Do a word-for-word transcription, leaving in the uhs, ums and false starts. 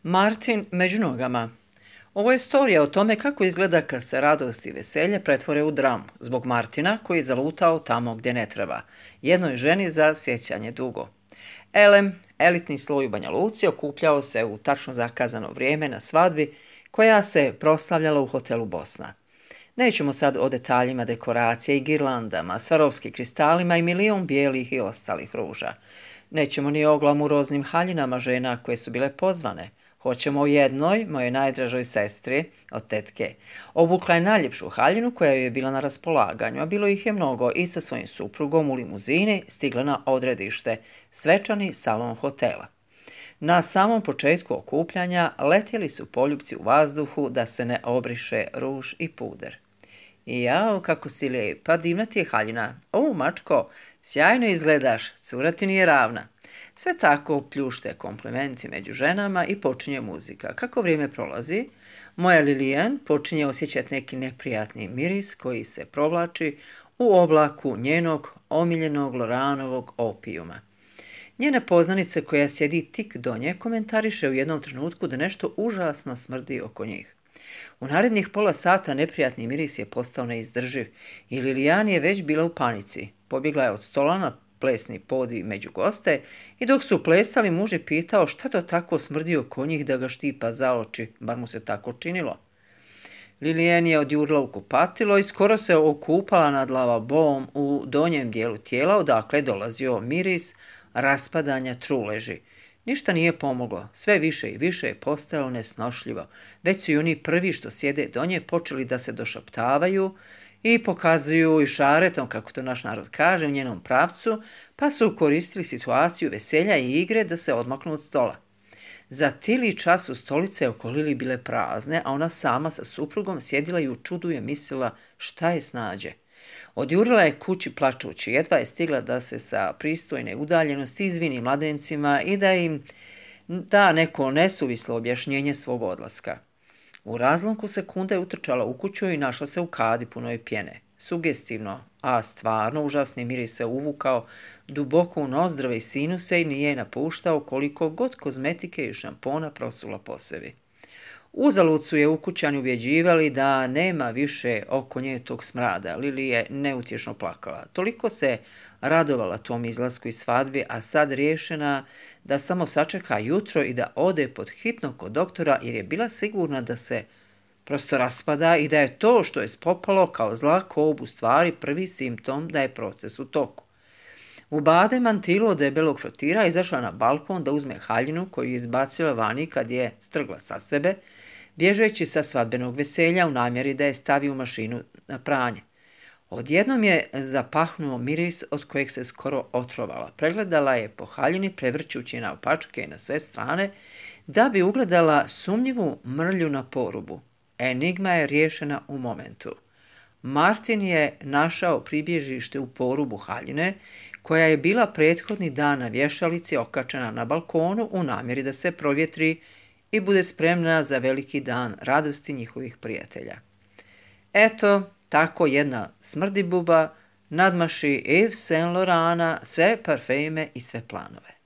Martin među nogama. Ovo je storija o tome kako izgleda kad se radost i veselje pretvore u dramu, zbog Martina koji je zalutao tamo gdje ne treba, jednoj ženi za sjećanje dugo. Elem, elitni sloj u Banja Luci, okupljao se u tačno zakazano vrijeme na svadbi koja se proslavljala u hotelu Bosna. Nećemo sad o detaljima dekoracije i girlandama, svarovskim kristalima i milijun bijelih i ostalih ruža. Nećemo ni o glamuroznim haljinama žena koje su bile pozvane. Hoćemo o jednoj, mojoj najdražoj sestri, od tetke. Obukla je najljepšu haljinu koja joj je bila na raspolaganju, a bilo ih je mnogo, i sa svojim suprugom u limuzini stigla na odredište, svečani salon hotela. Na samom početku okupljanja letjeli su poljupci u vazduhu da se ne obriše ruž i puder. I jao, kako si lijepa, divna ti je haljina. O, mačko, sjajno izgledaš, cura ti nije ravna. Sve tako pljušte komplimenti među ženama i počinje muzika. Kako vrijeme prolazi, moja Lilian počinje osjećati neki neprijatni miris koji se provlači u oblaku njenog omiljenog Loranovog opijuma. Njena poznanica koja sjedi tik do nje komentariše u jednom trenutku da nešto užasno smrdi oko njih. U narednih pola sata neprijatni miris je postao neizdrživ i Lilian je već bila u panici. Pobjegla je od stola na plesni podij među goste i dok su plesali muž je pitao šta to tako smrdi oko njih da ga štipa za oči, bar mu se tako činilo. Lilian je odjurila u kupatilo i skoro se okupala nad lavabom u donjem dijelu tijela odakle je dolazio miris raspadanja truleži. Ništa nije pomoglo, sve više i više je postajalo nesnošljivo. Već su i oni prvi što sjede do nje počeli da se došaptavaju i pokazuju i šaretom, kako to naš narod kaže, u njenom pravcu, pa su koristili situaciju veselja i igre da se odmaknu od stola. Za tili čas su stolice oko Lili bile prazne, a ona sama sa suprugom sjedila i u čudu je mislila šta je snađe. Odjurila je kući plačući, jedva je stigla da se sa pristojne udaljenosti izvini mladencima i da im da neko nesuvislo objašnjenje svog odlaska. U razlomku sekunde je utrčala u kuću i našla se u kadi punoj pjene. Sugestivno, a stvarno užasni miris se uvukao duboko u nozdrave i sinuse i nije napuštao koliko god kozmetike i šampona prosula po sebi. Uzalud su je ukućani uvjeđivali da nema više oko nje tog smrada. Lili je neutješno plakala. Toliko se radovala tom izlasku iz svadbi, a sad riješena da samo sačeka jutro i da ode pod hitno kod doktora jer je bila sigurna da se prosto raspada i da je to što je spopalo kao zla kob u stvari prvi simptom da je proces u toku. U bade mantilu od debelog frotira izašla na balkon da uzme haljinu koju je izbacila vani kad je strgla sa sebe, bježeći sa svadbenog veselja u namjeri da je stavi u mašinu na pranje. Odjednom je zapahnuo miris od kojeg se skoro otrovala. Pregledala je po haljini prevrćući naopačke na sve strane da bi ugledala sumnjivu mrlju na porubu. Enigma je riješena u momentu. Martin je našao pribježište u porubu haljine koja je bila prethodni dan na vješalici okačena na balkonu u namjeri da se provjetri i bude spremna za veliki dan radosti njihovih prijatelja. Eto, tako jedna smrdibuba nadmaši Yves Saint Laurenta sve parfeme i sve planove.